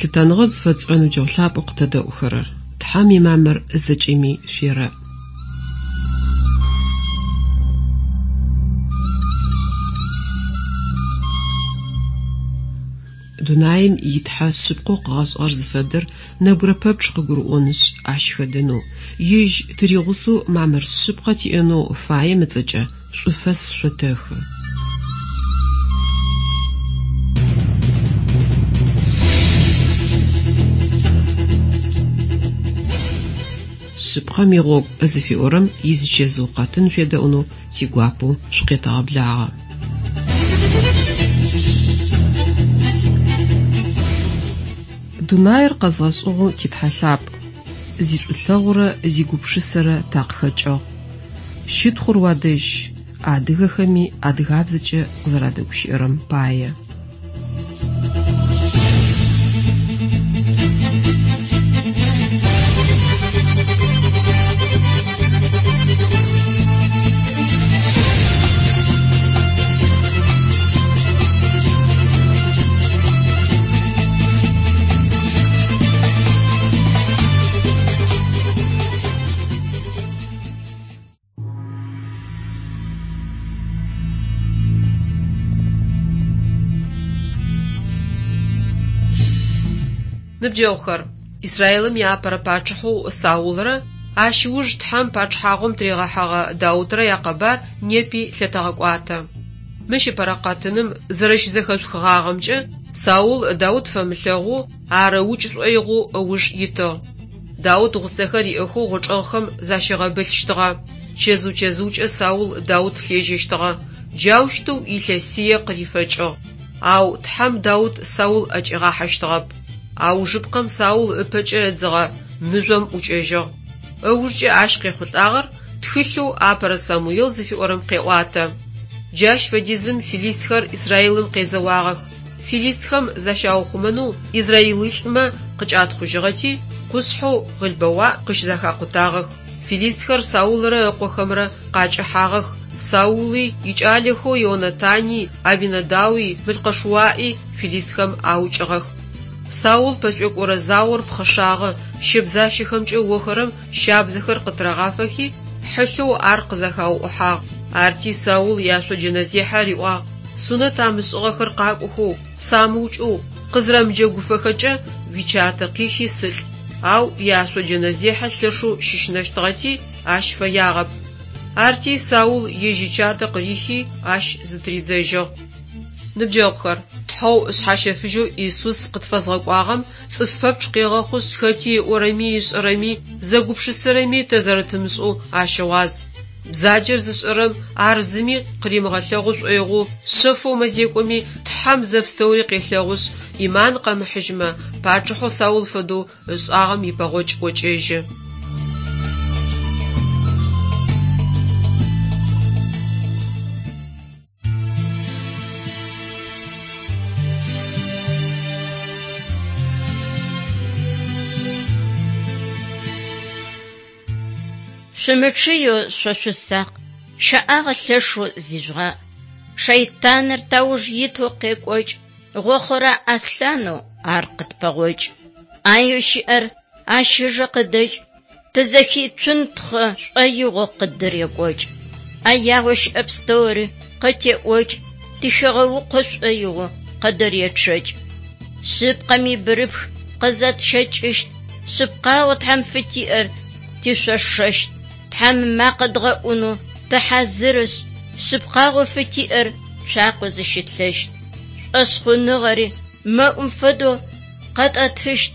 Лъытэныгъэ зыфэтшӏырэ ныбджэгъу лъапӏэу къытэдэӏухэрэр! Тхьэм имамыр зэкӏэми шъуерэӏ. Дунаим и Тхьэ шъыпкъэу къыгъэшӏыгъэр зыфэдэр нэбгырэ пэпчъ къыгурыӏонышъ, ащ хэдэнэу, Ежь тыригъусэу мамыр шъыпкъэ тиӏэнэу фаем ыцӏэкӏэ шӏуфэс шъотэхы. Шъыпкъэм игъогу зыфиӏорэм изичэзыу къэтын шъуедэӏунэу тигуапэу шъукъетэгъэблагъэ. Дунаир къэзгъэшӏыгъэу ти Тхьэ лъапӏ, зишӏулъэгъурэ зигупшысэрэ такъыхэкӏыгъ. Щытхъур уадэжь, адыгэхэми адыгабзэкӏэ къызэрадэгущыӏэрэм пае. Ныбджэгъухэр, Израилым иапэрэ пачъыхьэу Саулрэ ащ ыуж Тхьэм пачъыхьагъум тыригъэхьэгъэ Даутрэ якъэбар непи лъэтэгъэкӏуатэ. Мыщ ыпэрэ къэтыным зэрэщызэхэшъухыгъагъэмкӏэ, Саул Даут фэмылъэгъоу, ар ыукӏ шӏоигъоу ыуж итыгъ. Даут гъусэхэр иӏэхэу гъочӏэгъхэм защигъэбылъщтыгъэ. Чэзыу-чэзыукӏэ Саул Даут лъежьэщтыгъэ. Джаущтэу илъэсие къырифэкӏыгъ. Ау Тхьэм Даут Саул ӏэкӏигъахьэщтыгъэп. Аужыпкъэм Саул ыпэкӏэ ыдзыгъэ мыжъом ӏукӏэжьыгъ. Ыужкӏэ ащ къехъулӏагъэр тхылъэу Апэрэ Самуел зыфиӏорэм къеӏуатэ. Джащ фэдизым филистхэр Израилым къезэуагъэх. Филистхэм защаухъумэнэу израилылӏмэ къыкӏатхъужьыгъэти, къушъхьэу Гъылбэуаӏ къыщызэхакъутагъэх. Филистхэр Саулрэ ыкъохэмрэ къакӏэхьагъэх, Саули икӏалэхэу Ионатани, Абинадауи, Мылкъэшуаӏи филистхэм аукӏыгъэх. Саул пэшӏуекӏорэ заор пхъэшагъэ, щэбзащэхэмкӏэ охэрэм щабзэхэр къытырагъафэхи, хьылъэу ар къызэхауӏухьагъ. Арти Саул иашъоджэнэзехьэ риӏуагъ, Сунэт амышӏыгъэхэр къакӏохэу, самыукӏэу, къызырэмыджэгуфэхэкӏэ, уичатэ къихи сылӏ. Ау иашъоджэнэзехьэ лъэшэу щыщынэщтыгъэти, ащ фэягъэп. Арти Саул ежь ичатэ къырихи, ащ зытыридзэжьыгъ. Ныбджэгъухэр, Тхьэу Шъхьащэфыжьэу Исус къытфэзгъэкӏуагъэм цӏыф пэпчъ къегъэхъушъ, хэти ыӏорэми ышӏэрэми, зэгупшысэрэми тэ зэрэтымышӏэу ащыгъуаз. Бзаджэр зышӏэрэм ар зыми къыримыгъэлъэгъу шӏоигъоу шъэфэу мэзекӏоми, Тхьэм зэпстэури къелъэгъушъ, ӏиман къэмыхьыжьмэ, пачъыхьэу Саул фэдэу ышӏагъэм ипэгъокӏ ӏокӏэжьы. Шъумычъыеу шъо шъусакъ, щэӏагъэ лъэшэу зижъугъаӏ. Шэйтаныр тауж итэу къекӏокӏ, гъохъорэ аслъанэу ар къытпэгъокӏ. ӏаеу щыӏэр ащ ыжэ къыдэкӏ, тызэхицунтхъы шӏоигъоу къыддырекӏокӏ. ӏэягъэу щыӏэ пстэури къытеӏокӏ, тыхигъэукъо шӏоигъоу къыдыречъэкӏ. Шъыпкъэм ибырыпх къызэтщэкӏыщт, шъыпкъагъэу Тхьэм фытиӏэр тишъошэщт. Тхьэм ымакъэ дгъэӏунэу тыхьазырышъ, шъыпкъагъэу фытиӏэр цуакъэу зыщытлъэщт. Шӏошъхъуныгъэри мэӏум фэдэу къэтӏэтыщт,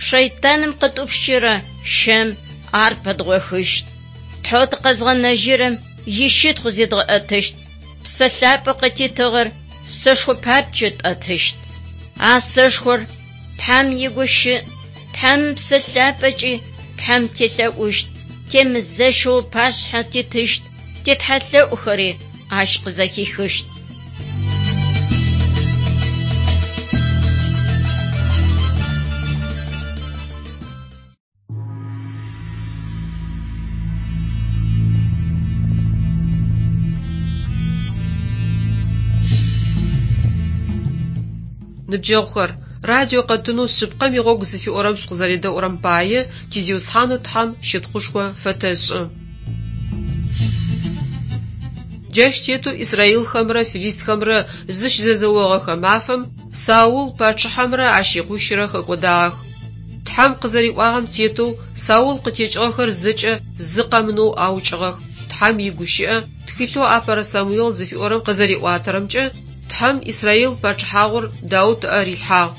шэйтаным къытӏупщырэ щэм ар пэдгъохыщт. Тхьэу тыкъэзгъэнэжьырэм ищытхъу зедгъэӏэтыщт, Псэ Лъапӏэу къытитыгъэр сэшхо папкӏэу тӏэтыщт. А сэшхор Тхьэм игущыӏ, Тхьэм Псэ Лъапӏэкӏи Тхьэм телъэӏущт, темызэщэу ыпашъхьэ титыщт, титхьэлъэӏухэри ащ къызэхихыщт. Ныбджэгъухэр, Радио къэтынэу Шъыпкъэм игъогу зыфиӏорэм шъукъызэредэӏурэм пае ти Зиусхьанэу Тхьэм щытхъушхо фэтэшӏы. Джащ тетэу израилхэмрэ фылистхэмрэ зыщызэзэогъэхэ мафэм Саул пачъыхьэмрэ ащ икъуищырэ хэкӏодагъэх. Тхьэм къызэриӏуагъэм тетэу Саул къытекӏыгъэхэр зэкӏэ зы къэмынэу аукӏыгъэх. Тхьэм игущыӏэ тхылъэу Апэрэ Самуел зыфиӏорэм къызэриӏуатэрэмкӏэ, Тхьэм Израил пачъыхьагъур Даут ыӏэ рилъхьагъ.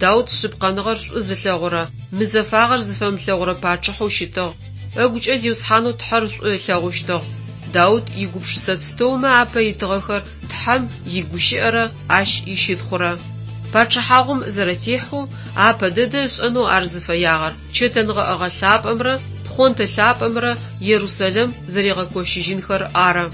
Даут шъыпкъэныгъэр шӏу зылъэгъурэ, мызэфагъэр зыфэмылъэгъурэ пачъыхьэу щытыгъ. Ыгукӏэ Зиусхьанэу Тхьэр шӏу ылъэгъущтыгъ. Даут игупшысэ пстэумэ апэ итыгъэхэр Тхьэм игущыӏэрэ Ащ ищытхъурэ. Пачъыхьагъум зэрэтехьэу, апэ дэдэ ышӏэнэу ар зыфэягъэр чэтэнгъэӏэгъэ лъапӏэмрэ пхъонтэ лъапӏэмрэ Ерусэлэм зэригъэкощыжьынхэр ары.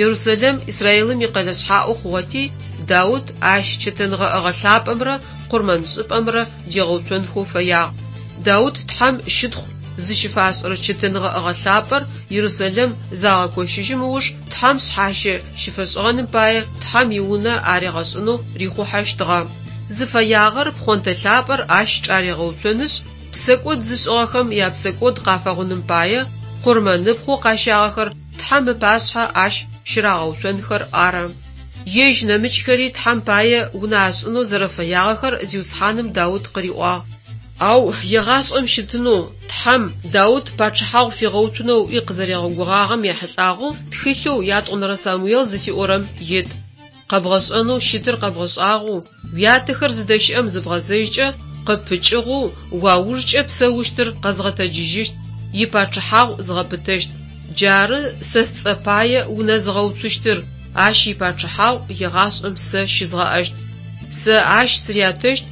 Ерусэлэм Израилым икъэлэ шъхьаӏэу хъугъэти, Даут ащ чэтэнгъэӏэгъэ лъапӏэмрэ къурмэншӏыпӏэмрэ дигъэуцонхэу фэягъ. Даут Тхьэм щытхъу зыщыфашӏырэ чэтэнгъэӏэгъэ лъапӏэр Ерусэлэм загъэкощыжьым ыуж Тхьэм шъхьащэ щыфэшӏыгъэным пае Тхьэм и Унэ аригъэшӏынэу рихъухьэщтыгъэ. Зыфэягъэр пхъонтэ лъапӏэр ащ чӏаригъэуцонышъ, псэкӏод зышӏыгъэхэм япсэкӏод къафэгъуным пае къурмэныпхъэу къащагъэхэр Тхьэм ыпашъхьэ ащ щырагъэуцонхэр ары. Ежь нэмыкӏхэри Тхьэм пае унэ ашӏынэу зэрэфэягъэхэр Зиусхьаным Даут къыриӏуагъ. Ау егъашӏэм щытынэу Тхьэм Даут пачъыхьагъу фигъэуцунэу ыӏуи къызэригъэгугъагъэм ехьылӏагъэу тхылъэу Ятӏонэрэ Самуел зыфиӏорэм ит. Къэбгъэшӏэнэу щытыр къэбгъэшӏагъэу, уятэхэр зыдэщыӏэм зыбгъэзэжькӏэ, къыппыкӏыгъэу, уаужкӏэ псэущтыр къэзгъэтэджыжьыщт, ипачъыхьагъу згъэпытэщт. Джары сэ сцӏэ пае унэ зыгъэуцущтыр, ащ ипачъыхьагъу егъашӏэм сэ щызгъэӏэщт. Сэ ащ сырятэщт,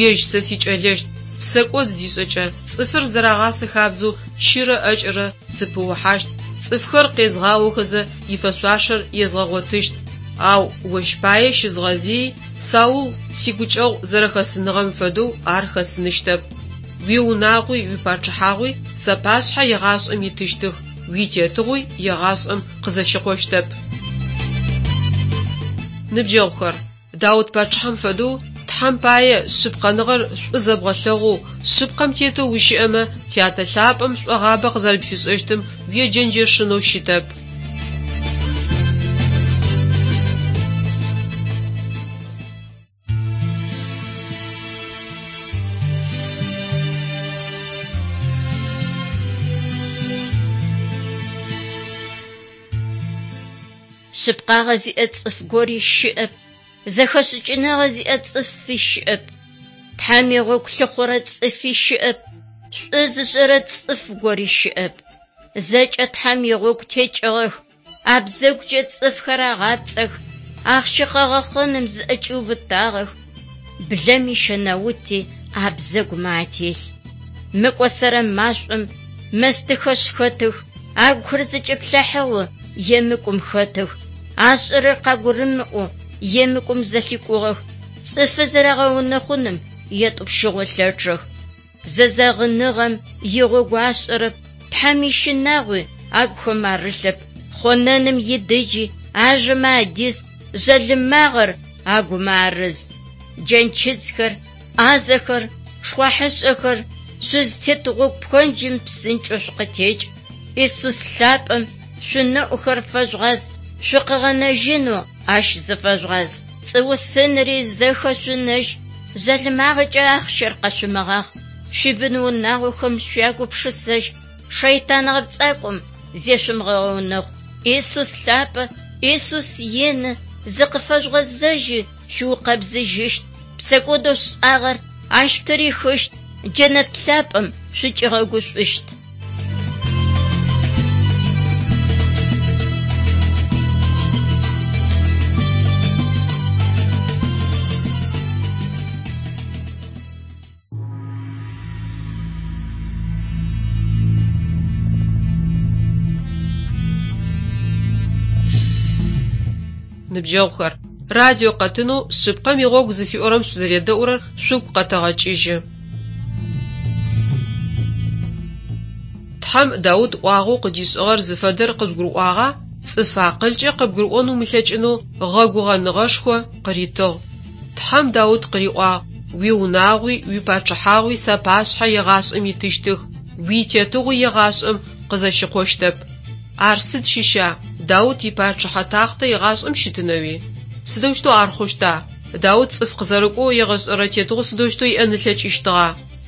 ежь сэ сикӏэлэщт. Псэкӏод зишӏэкӏэ, цӏыфыр зэрагъасэ хабзэу чырэ ӏэкӏэрэ сыпыухьащт, цӏыфхэр къезгъаохэзэ ифэшъуашэр езгъэгъотыщт. Ау ощ пае щызгъэзыий, Саул сигукӏэгъу зэрэхэсыныгъэм фэдэу ар хэсыныщтэп. Уиунагъуи уипачъыхьагъуи сапашъхьэ егъашӏэм итыщтых, уитетыгъуи егъашӏэм къызэщыкъощтэп. Ныбджэгъухэр, Даут пачъыхьэм фэдэу Тхьэм пае шъыпкъэныгъэр шӏу зэбгъэлъэгъоу, шъыпкъэм тетэу ущыӏэмэ, Тятэ лъапӏэм шӏогъабэ къызэрэпфишӏэщтым уеджэнджэшынэу щытэп. Шъыпкъагъэ зиӏэ цӏыф гори щыӏэп, зэхэшӏыкӏыныгъэ зиӏэ цӏыфи щыӏэп, Тхьэм игъогу лъыхъурэ цӏыфи щыӏэп, шӏу зышӏэрэ цӏыф гори щыӏэп. Зэкӏэ Тхьэм игъогу текӏыгъэх, абзэгукӏэ цӏыфхэр агъапцӏэх, ахъщэ къэгъэхъэным зыӏэкӏиубытагъэх, блэм ищэнаути абзэгумэ ателъ. Мыкӏосэрэ машӏом мэстыхэшъ хэтых, агухэр зэкӏэплъыхьагъэу емыкӏум хэтых, ашӏэрэр къагурымыӏоу емыкӏум зэлъикӏугъэх, цӏыфы зэрагъэунэхъуным етӏупщыгъэу лъэчъэх. Зэзэгъыныгъэм игъогу ашӏэрэп, Тхьэм ищынагъуи агухэм арылъэп, хъонэным идыджи ажэмэ адиз, жъалымагъэр агумэ арыз. Джэнчыдзхэр, ӏазэхэр, шхъуахьышӏэхэр, шъузтет гъогу пхэнджым псынкӏэу шъукъытекӏ, Исус лъапӏэм шъунэӏухэр фэжъугъаз, шъукъыгъэнэжьынэу Ащ зыфэжъугъаз. Пцӏыусынри зэхэшъунэжь, жъалымагъэкӏэ ахъщэр къэшъумыгъахъ, шъуибын-унагъохэм шъуягупшысэжь, шэйтан гъэпцӏакӏом зешъумыгъэунэхъу. Исус лъапӏэ, Исус ины, зыкъыфэжъугъэзэжьи, шъуукъэбзыжьыщт, псэкӏодэу шъушӏагъэр Ащ шъутырихыщт, джэнэт лъапӏэм шъукӏигъэгушӏущт. Ныбджэгъухэр, радио къэтынэу Шъыпкъэм игъогу зыфиӏорэм шъузэредэӏурэр шъугу къэтэгъэкӏыжьы. Тхьэм Даут ӏуагъэу къыдишӏыгъэр зыфэдэр къыжъугурыӏуагъа? Цӏыф акъылкӏэ къыбгурыӏон умылъэкӏынэу гъэгугъэныгъэшхо къыритыгъ. Тхьэм Даут къыриӏуагъ. Уиунагъуи уипачъыхьагъуи сапашъхьэ егъашӏэм итыщтых, уитетыгъуи егъашӏэм къызэщыкъощтэп. Ар сыд щыща, Даут ипачъыхьэ тахътэ егъашӏэм щытынэуи? Сыдэущтэу ар хъущта? Даут цӏыф къызэрыкӏоу егъэшӏэрэ тетыгъо сыдэущтэу иӏэн ылъэкӏыщтыгъа?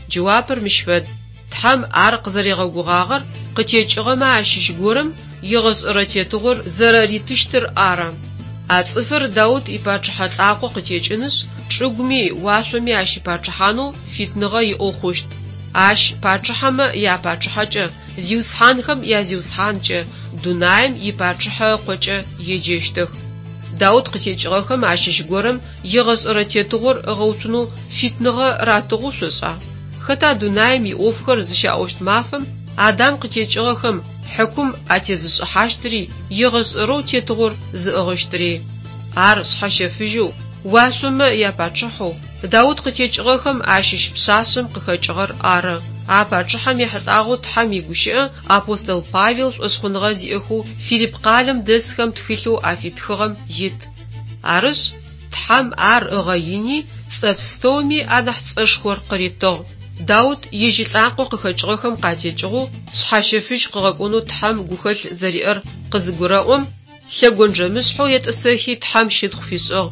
Джэуапыр мыщ фэд. Тхьэм ар къызэригъэгугъагъэр къытекӏыгъэмэ ащыщ горэм егъэшӏэрэ тетыгъор зэрэритыщтыр ары. А цӏыфыр Даут ипачъыхьэ лӏакъо къытекӏынышъ, чӏыгуми уашъоми ащыпачъыхьанэу фитныгъэ иӏэу хъущт. Ащ пачъыхьэмэ япачъыхьэкӏэ, зиусхьанхэм язиусхьанкӏэ, дунаим ипачъыхьэ ыкъокӏэ еджэщтых. Даут къытекӏыгъэхэм ащыщ горэм егъэшӏэрэ тетыгъор ыгъэуцунэу фитныгъэ ратыгъэу шъошӏа? Хэта дунаим иӏофхэр зыщаӏощт мафэм Адам къытекӏыгъэхэм хьыкум атезышӏыхьащтыри, егъэшӏэрэу тетыгъор зыӏыгъыщтыри? Ар шъхьэщэфыжьэу, уашъомэ япачъыхьэу, Даут къытекӏыгъэхэм ащыщ пшъашъэм къыхэкӏыгъэр ары. А пачъыхьэм ехьылӏагъэу Тхьэм игущыӏэ апостол Павел шӏошъхъуныгъэ зиӏэхэу Филипп къалэм дэсхэм тхылъэу афитхыгъэм ит. Арышъ, Тхьэм ар ыгъэини, цӏэ пстэуми анахь цӏэшхор къыритыгъ. Даут ежь илӏакъо къыхэкӏыгъэхэм къатекӏыгъэу шъхьащэфыжь къыгъэкӏонэу Тхьэм гухэлъ зэриӏэр къызыгурэӏом, лъэгонджэмышъхьэу етӏысэхи Тхьэм щытхъу фишӏыгъ.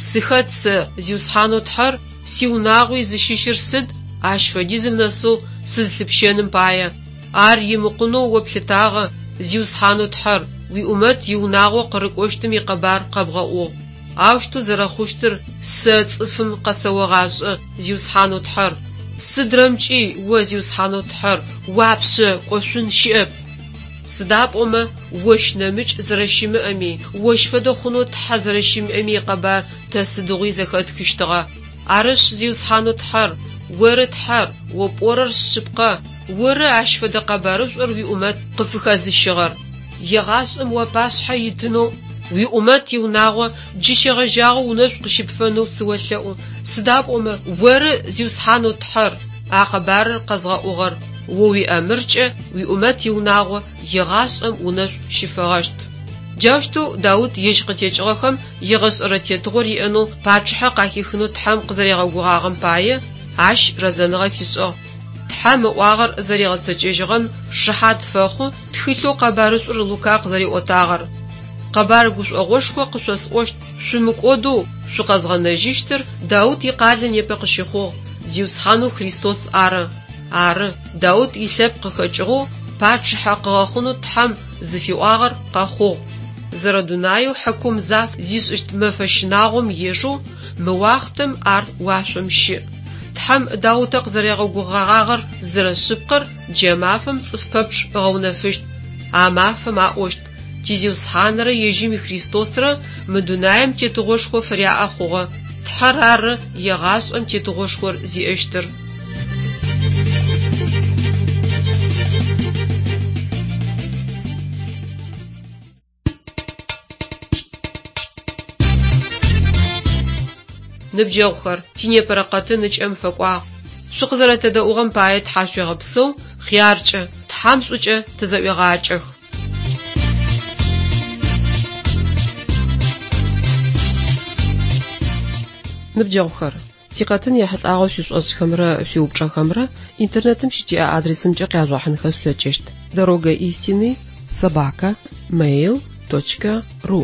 Сыхэт сэ, Зиусхьанэу Тхьэр, сиунагъуи зыщыщыр сыд, ащ фэдизым нэсэу сызлъыпщэным пае? Ар имыкъунэу о плъытагъэ, Зиусхьанэу Тхьэр, уиӏумэт иунагъо къырыкӏощтым икъэбар къэбгъэӏугъ. Аущтэу зэрэхъущтыр сэ цӏыфым къэсэогъашӏэ, Зиусхьанэу Тхьэр. Сыдрэмкӏи о, Зиусхьанэу Тхьэр, уапшъэ кӏошъун щыӏэп. Сыда пӏомэ ощ нэмыкӏ зэрэщымыӏэми, ощ фэдэ хъунэу Тхьэ зэрэщымыӏэми икъэбар тэ сыдигъуи зэхэтхыщтыгъэ. Арышъ, Зиусхьанэу Тхьэр, оры Тхьэр, о пӏорэр шъыпкъэ, оры ащ фэдэ къэбарышӏур уиӏумэт къыфыхэзыщыгъэр. Егъашӏэм уапашъхьэ итынэу уиӏумэт иунагъо джы щегъэжьагъэу унэшӏу къыщыпфэнэу сыолъэӏу, сыда пӏомэ оры, Зиусхьанэу Тхьэр, а къэбарыр къэзгъэӏугъэр, о уиӏэмыркӏэ уиӏумэт иунагъо егъашӏэм унэшӏу щыфэгъэщт. Джаущтэу Даут ежь къытекӏыгъэхэм егъэшӏэрэ тетыгъор иӏэнэу пачъыхьэ къахихынэу Тхьэм къызэригъэгугъагъэм пае, ащ рэзэныгъэ фишӏыгъ. Тхьэм ыӏуагъэр зэригъэцэкӏэжьыгъэм шыхьат фэхъу тхылъэу къэбарышӏур Лука къызэриӏотагъэр. Къэбар гушӏогъошхо къышъосӏощт, шъумыкӏодэу шъукъэзгъэнэжьыщтыр Даут икъалэ непэ къыщыхъугъ, Зиусхьанэу Христос ары. Ары, Даут илъэпкъ къыхэкӏыгъэу пачъыхьэ къыгъэхъунэу Тхьэм зыфиӏуагъэр къэхъугъ. Зэрэдунаеу хьыкум заф зишӏыщт мэфэ щынагъом ежэу мы уахътэм ар уашъом щыӏ. Тхьэм Даутэ къызэригъэгугъэгъагъэр зэрэшъыпкъэр джа мафэм цӏыф пэпчъ ыгъэунэфыщт. А мафэм аӏощт, Ти Зиусхьанрэ ежьым и Христосрэ мы дунаим тетыгъошхо фыряӏэ хъугъэ, Тхьэр ары егъашӏэм тетыгъошхор зиӏэщтыр. Ныбджэгъухэр, тинепэрэ къэтын ыкӏэм фэкӏуагъ. Шъукъызэрэтэдэӏугъэм пае тхьашъуегъэпсэу, хъяркӏэ, Тхьэм шӏукӏэ тызэӏуегъакӏэх. Ныбджэгъухэр, тикъэтын ехьылӏагъэу шъуишӏошӏхэмрэ шъуиупчӏэхэмрэ интернетым щытиӏэ адресымкӏэ къяжъугъэхьынхэ шъулъэкӏыщт: Дорога истины собака mail точка ру.